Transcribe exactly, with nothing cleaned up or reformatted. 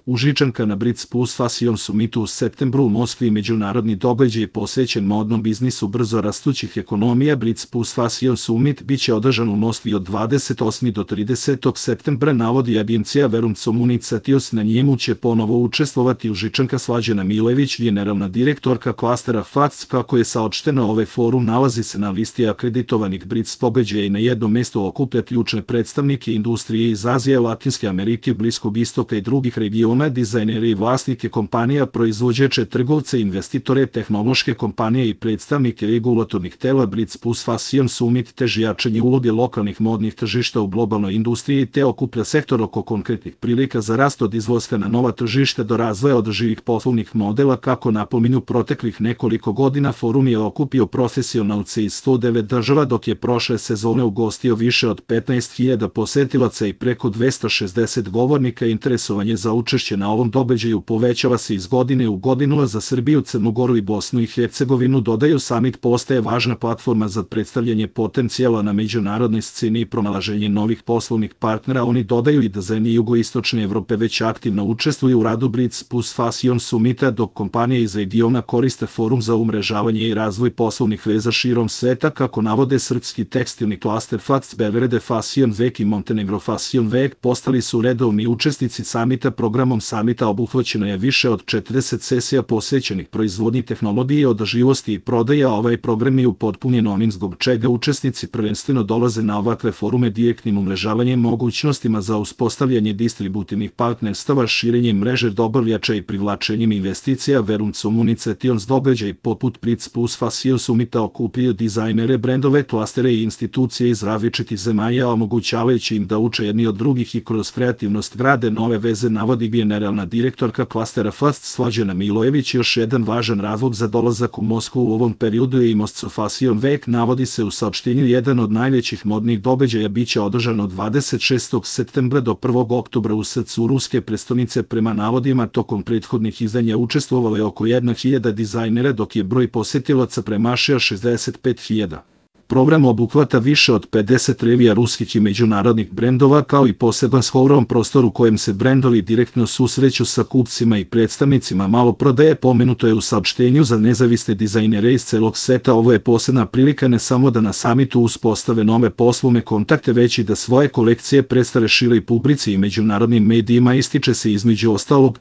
Užičanka na Brits Plus Fashion Summitu u septembru u Moskvi. Međunarodni događaj posvećen modnom biznisu brzo rastućih ekonomija. Brits Plus Fashion Summit biće održan u Moskvi od dvadeset osmog do tridesetog septembra, navodi agencija Verum Communications. Na njemu će ponovo učestvovati Užičanka Slađana Milojević, generalna direktorka klastera F A C. Kako je saopšteno, ovaj forum nalazi se na listi akreditovanih Brits događaja i na jednom mestu okuplja ključne predstavnike industrije iz Azije, Latinske Amerike, Bliskog istoka i drugih regiona, dizajnere i vlasnike kompanija, proizvođače, trgovce, investitore, tehnološke kompanije i predstavnike regulatornih tela. Brits Plus Fashion Summit teži jačanje uloge lokalnih modnih tržišta u globalnoj industriji te okuplja sektor oko konkretnih prilika za rast od izlaska na nova tržišta do razvoja održivih poslovnih modela. Kako napominju, proteklih nekoliko godina forum je okupio profesionalce iz sto devet država, dok je prošle sezone ugostio više od petnaest hiljada posetilaca i preko dvesta šezdeset govornika. Interesovanje za učešće na ovom događaju povećava se iz godine u godinu, a za Srbiju, Crnu Goru i Bosnu i Hercegovinu, dodaju, summit postaje važna platforma za predstavljanje potencijala na međunarodnoj sceni i pronalaženje novih poslovnih partnera. Oni dodaju i da zemlje jugoistočne Evrope već aktivno učestvuju u radu Brits Plus Fashion Summita, dok kompanije iz regiona koriste forum za umrežavanje i razvoj poslovnih veza širom sveta. Kako navode srpski tekstilni klaster F A C, Beograd Fashion Week i Montenegro Fashion Week postali su redovni učesnici samita. Programom samita obuhvaćeno je više od četrdeset sesija posvećenih proizvodnji, tehnologije, održivosti i prodaja. Ovaj program je upotpunjen onim zbog čega učesnici prvenstveno dolaze na ovakve forume direktnim umrežavanjem, mogućnostima za uspostavljanje distributivnih partnerstava, širenjem mreže dobavljača i privlačenjem investicija. Verum Communications događaj poput Brits Plus Fashion Summita okupljaju dizajnere, brendove, klastere i institucije iz različitih zemalja, omogućavajući im da uče jedni od drugih i kroz kreativnost grade nove veze, navodi generalna direktorka klastera F A C Slađana Milojević. Još jedan važan razlog za dolazak u Moskvu u ovom periodu je i Moscow Fashion Week, navodi se u saopštenju. Jedan od najvećih modnih događaja biće održan od dvadeset šestog septembra do prvog oktobra u srcu ruske prestonice. Prema navodima, tokom prethodnih izdanja učestvovalo je oko jedna hiljada dizajnera, dok je broj posetilaca premašio šezdeset pet hiljada. Program obuhvata više od pedeset revija ruskih i međunarodnih brendova, kao i poseban showroom prostor u kojem se brendovi direktno susreću sa kupcima i predstavnicima maloprodaje. Pomenuto je u saopštenju za nezavisne dizajnere iz celog sveta. Ovo je posebna prilika ne samo da na samitu uspostave nove poslovne kontakte, već i da svoje kolekcije predstave široj publici i međunarodnim medijima, ističe se između ostalog.